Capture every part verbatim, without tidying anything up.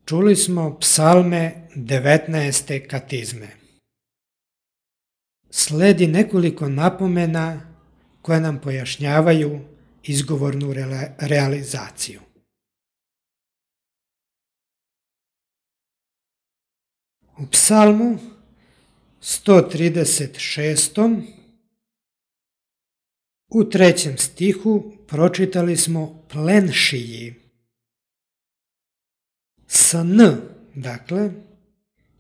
Čuli smo psalme devetnaeste katizme. Sledi nekoliko napomena koje nam pojašnjavaju izgovornu realizaciju. U psalmu sto trideset šest. u trećem stihu pročitali smo plenšiji. S n, dakle,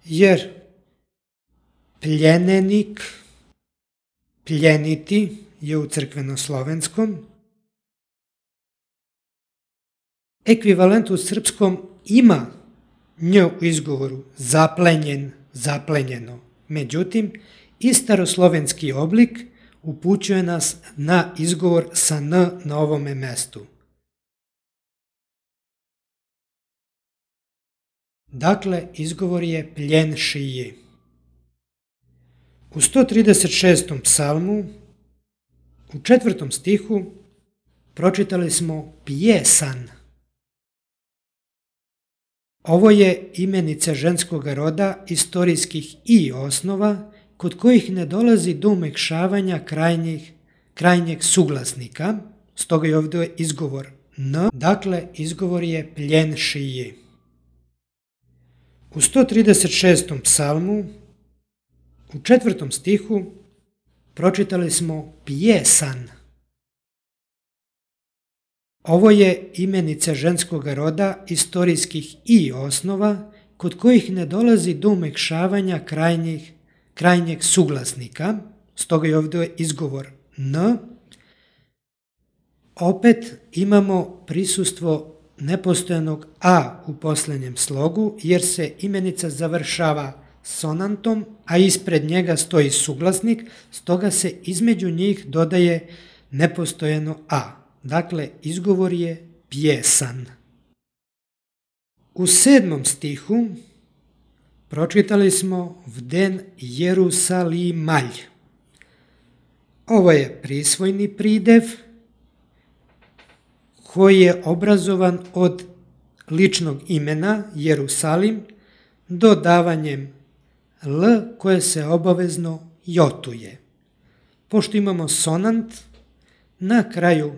jer pljenenik, pljeniti je u crkvenoslovenskom. Ekvivalent u srpskom ima nj u izgovoru zaplenjen, zaplenjeno. Međutim, i staroslovenski oblik upućuje nas na izgovor sa n na ovome mestu. Dakle, izgovor je pljenšiji. U sto trideset šestom psalmu, u četvrtom stihu, pročitali smo pjesan. Ovo je imenica ženskog roda istorijskih i osnova kod kojih ne dolazi do umekšavanja krajnjih, krajnjeg suglasnika, stoga je ovdje izgovor n, dakle izgovor je pljenšiji. U sto trideset šestom psalmu, u četvrtom stihu, pročitali smo pjesan. Ovo je imenica ženskog roda istorijskih i osnova kod kojih ne dolazi do umekšavanja krajnjih, krajnjeg suglasnika, stoga je ovdje izgovor n. Opet imamo prisustvo nepostojanog a u posljednjem slogu, jer se imenica završava sonantom, a ispred njega stoji suglasnik, stoga se između njih dodaje nepostojano a. Dakle, izgovor je pjesan. U sedmom stihu pročitali smo vden Jerusalimalj. Ovo je prisvojni pridev koji je obrazovan od ličnog imena Jerusalim dodavanjem l koje se obavezno jotuje. Pošto imamo sonant na kraju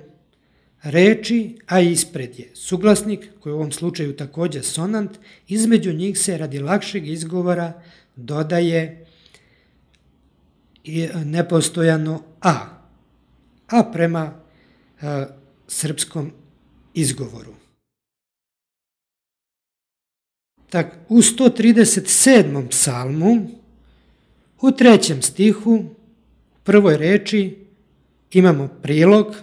reči, a ispred je suglasnik, koji u ovom slučaju također sonant, između njih se radi lakšeg izgovora dodaje nepostojano a, a prema e, srpskom izgovoru. Tak, u sto trideset sedmom psalmu, u trećem stihu, u prvoj reči imamo prilog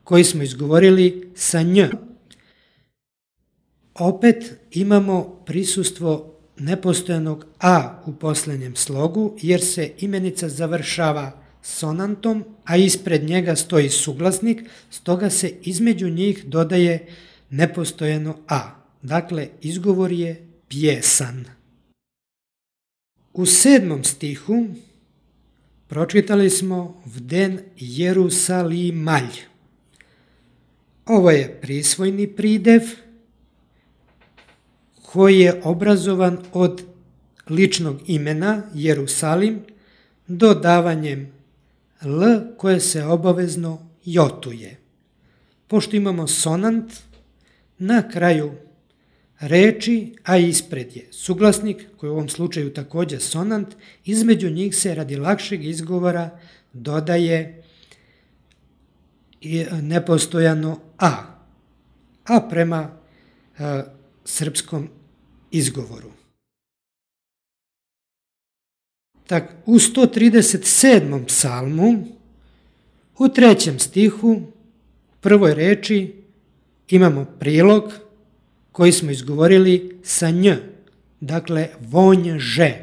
koji smo izgovorili sa nj. Opet imamo prisustvo nepostojanog a u posljednjem slogu, jer se imenica završava sonantom, a ispred njega stoji suglasnik, stoga se između njih dodaje nepostojano a. Dakle, izgovor je pjesan. U sedmom stihu pročitali smo vden Jerusalimalj. Ovo je prisvojni pridev koji je obrazovan od ličnog imena Jerusalim dodavanjem l koje se obavezno jotuje. Pošto imamo sonant na kraju reči, a ispred je suglasnik, koji u ovom slučaju također sonant, između njih se radi lakšeg izgovora dodaje nepostojano a, a prema e, srpskom izgovoru. Tak, u sto trideset sedmom psalmu, u trećem stihu, u prvoj reči imamo prilog koji smo izgovorili sa nj, dakle vonže.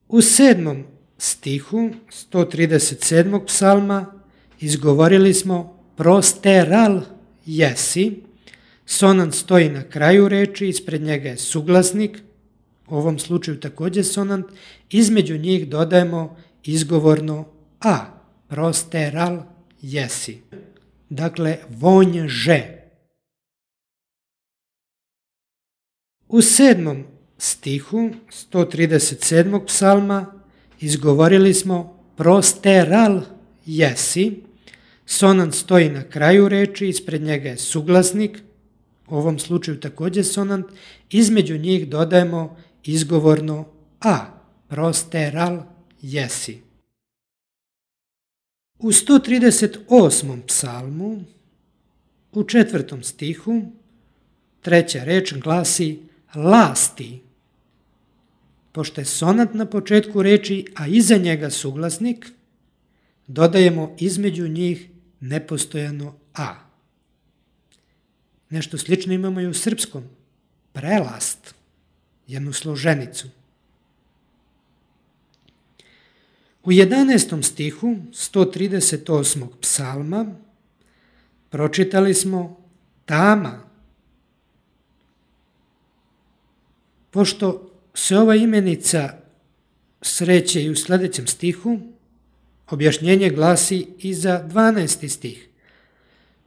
U sedmom stihu sto trideset sedmog psalma izgovorili smo prosteral jesi, sonant stoji na kraju reči, ispred njega je suglasnik, u ovom slučaju također sonant, između njih dodajemo izgovorno a, prosteral jesi, dakle vonže. U sedmom stihu sto trideset sedmog psalma izgovorili smo prosteral jesi. Sonant stoji na kraju reči, ispred njega je suglasnik, u ovom slučaju također sonant, između njih dodajemo izgovorno a, prosteral jesi. U sto trideset osmom psalmu, u četvrtom stihu, treća reč glasi lasti. Pošto je sonant na početku reči, a iza njega suglasnik, dodajemo između njih nepostojano a. Nešto slično imamo i u srpskom. Prelast, jednu složenicu. U jedanaestom stihu sto trideset osmog psalma pročitali smo tama. Pošto se ova imenica sreće i u sljedećem stihu, objašnjenje glasi i za dvanaesti stih.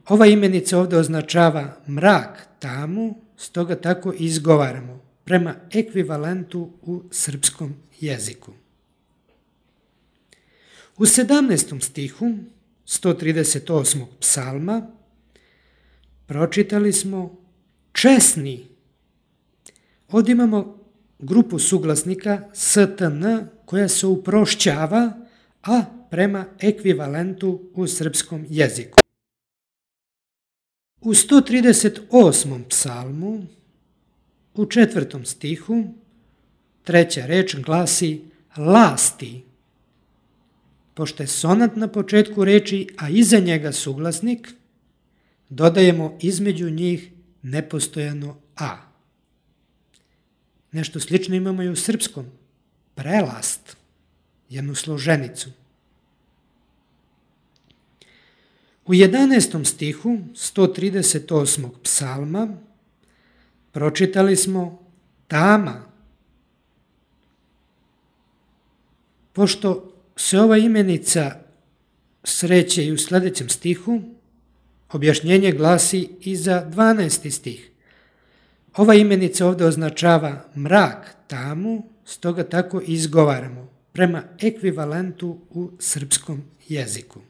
Ova imenica ovdje označava mrak, tamu, stoga tako izgovaramo prema ekvivalentu u srpskom jeziku. U sedamnaestom stihu sto trideset osmog psalma pročitali smo česni. Ovdje imamo grupu suglasnika stn koja se uprošćava, a prema ekvivalentu u srpskom jeziku. U sto trideset osmom psalmu, u četvrtom stihu, treća reč glasi lasti. Pošto je sonat na početku reči, a iza njega suglasnik, dodajemo između njih nepostojano a. Nešto slično imamo i u srpskom. Prelast, jednu složenicu. U jedanaestom stihu sto trideset osmog psalma pročitali smo tama. Pošto se ova imenica sreće i u sljedećem stihu, objašnjenje glasi i za dvanaesti stih. Ova imenica ovdje označava mrak, tamu, stoga tako izgovaramo prema ekvivalentu u srpskom jeziku.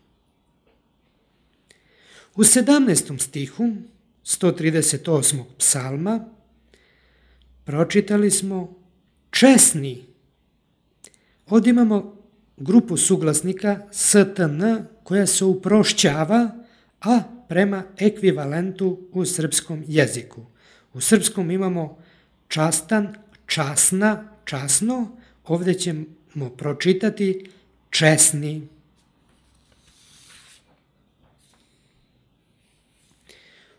U sedamnaestom stihu sto trideset osmog psalma pročitali smo česni. Ovdje imamo grupu suglasnika stn koja se uprošćava, a prema ekvivalentu u srpskom jeziku. U srpskom imamo častan, časna, časno, ovdje ćemo pročitati česni.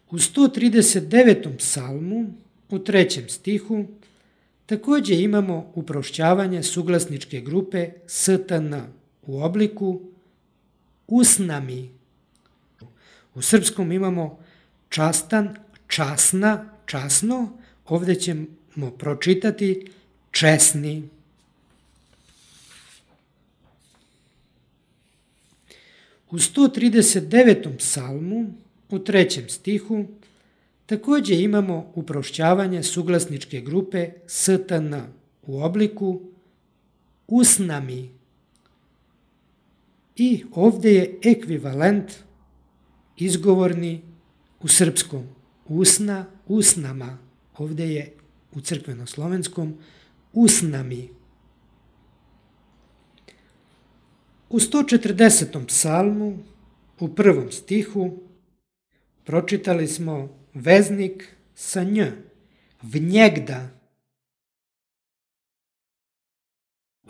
U sto trideset devetom psalmu, u trećem stihu, također imamo uprošćavanje suglasničke grupe stn u obliku usnami. U srpskom imamo častan, časna, časno, ovdje ćemo pročitati česni. U sto trideset devetom psalmu, u trećem stihu, također imamo uprošćavanje suglasničke grupe stn u obliku usnami. I ovdje je ekvivalent izgovorni u srpskom. Usna, usnama. Ovdje je u crkveno-slovenskom usnami. U sto četrdesetom psalmu, u prvom stihu, pročitali smo veznik sa nj, vnjegda.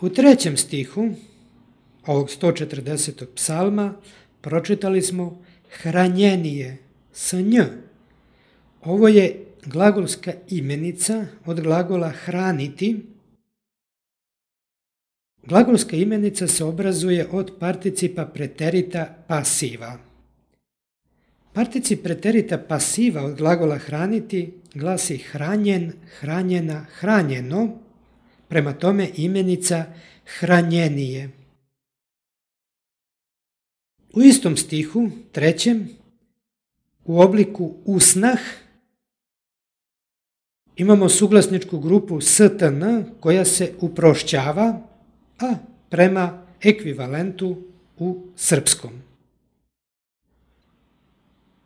U trećem stihu ovog sto četrdesetog psalma pročitali smo hranjenije sa nj. Ovo je glagolska imenica od glagola hraniti. Glagolska imenica se obrazuje od participa preterita pasiva. Particip preterita pasiva od glagola hraniti glasi hranjen, hranjena, hranjeno, prema tome imenica hranjenije. U istom stihu, trećem, u obliku usnah, Imamo suglasničku grupu stn koja se uprošćava, a prema ekvivalentu u srpskom.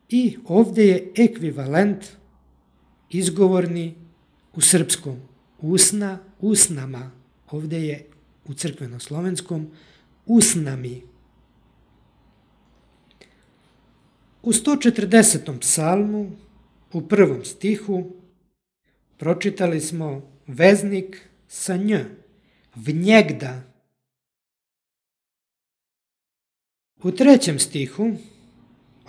I ovdje je ekvivalent izgovorni u srpskom. Usna, usnama. Ovdje je u crkveno-slovenskom usnami. U sto četrdesetom psalmu, u prvom stihu, pročitali smo veznik sa nj, vnjegda. U trećem stihu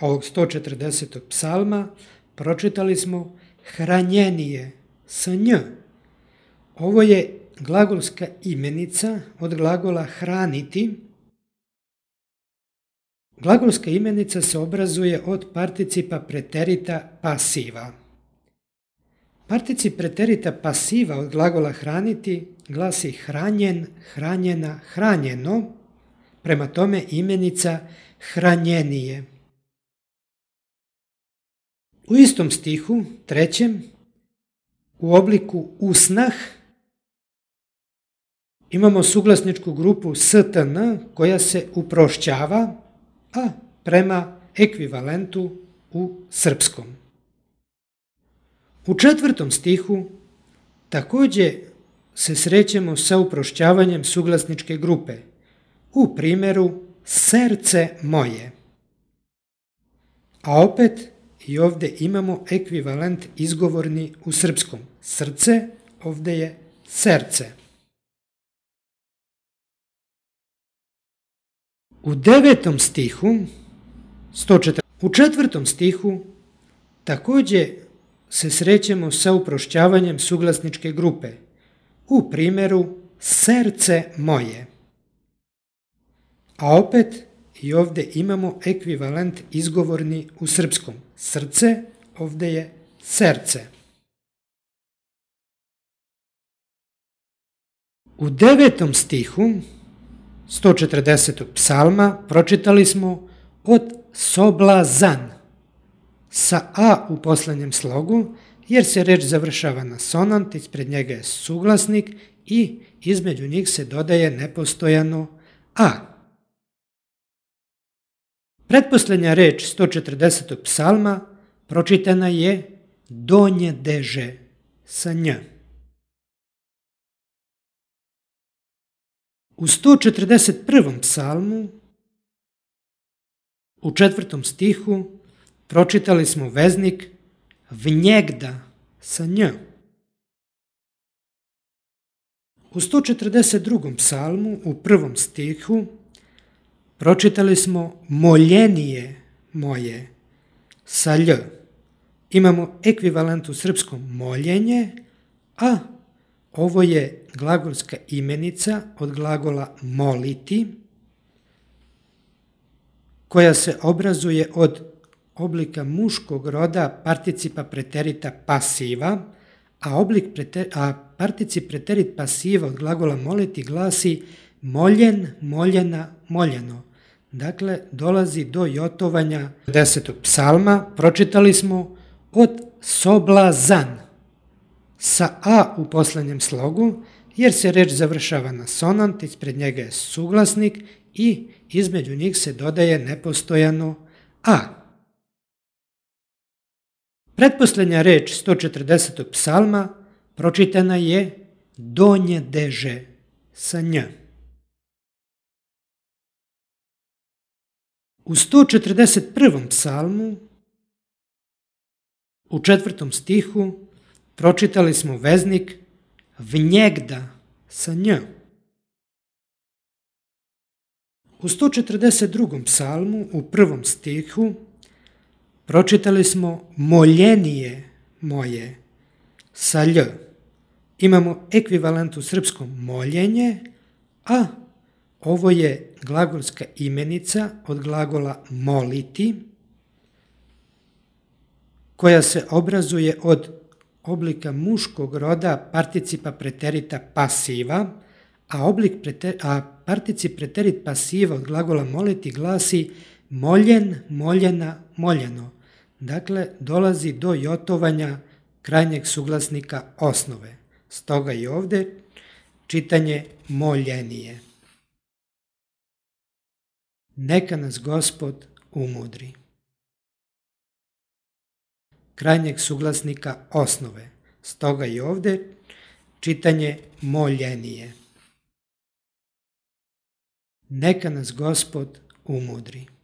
ovog sto četrdesetog psalma pročitali smo hranjenije sa nj. Ovo je glagolska imenica od glagola hraniti. Glagolska imenica se obrazuje od participa preterita pasiva. Particip preterita pasiva od glagola hraniti glasi hranjen, hranjena, hranjeno, prema tome imenica hranjenije. U istom stihu, trećem, u obliku usnah, imamo suglasničku grupu stn koja se uprošćava, a prema ekvivalentu u srpskom. U četvrtom stihu također se srećemo sa uprošćavanjem suglasničke grupe, u primjeru srce moje. A opet i ovdje imamo ekvivalent izgovorni u srpskom. Srce, ovdje je serce. U devetom stihu, sto četrdeset, u četvrtom stihu također se srećemo sa uprošćavanjem suglasničke grupe, u primjeru srce moje. A opet i ovdje imamo ekvivalent izgovorni u srpskom. Srce, ovdje je serce. U devetom stihu sto četrdesetog psalma pročitali smo od soblazan sa a u posljednjem slogu, jer se reč završava na sonant, ispred njega je suglasnik i između njih se dodaje nepostojano a. Pretposljednja reč sto četrdesetog psalma pročitana je donje deže sa nj. U sto četrdeset prvom psalmu, u četvrtom stihu, pročitali smo veznik vnjegda sa nj. U sto četrdeset drugom psalmu, u prvom stihu, pročitali smo moljenije moje sa lj. Imamo ekvivalent u srpskom moljenje, a ovo je glagolska imenica od glagola moliti, koja se obrazuje od oblika muškog roda participa preterita pasiva, a, oblik preter, a particip preterit pasiva od glagola moliti glasi moljen, moljena, moljeno. Dakle, dolazi do jotovanja desetog psalma. Pročitali smo od soblazan sa a u posljednjem slogu, jer se reč završava na sonant, ispred njega je suglasnik i između njih se dodaje nepostojano a. Pretposljednja reč sto četrdesetog psalma pročitana je donje deže sa nj. U sto četrdeset prvom psalmu, u četvrtom stihu, pročitali smo veznik vnjegda sa nj. U sto četrdeset drugom psalmu, u prvom stihu, pročitali smo moljenije moje sa lj. Imamo ekvivalent u srpskom moljenje, a ovo je glagolska imenica od glagola moliti, koja se obrazuje od oblika muškog roda participa preterita pasiva, a, oblik preter, a particip preterit pasiva od glagola moliti glasi moljen, moljena, moljeno. Dakle, dolazi do jotovanja krajnjeg suglasnika osnove. Stoga i ovdje čitanje moljenije. Neka nas Gospod umudri. Krajnjeg suglasnika osnove. Stoga i ovdje čitanje moljenije. Neka nas Gospod umudri.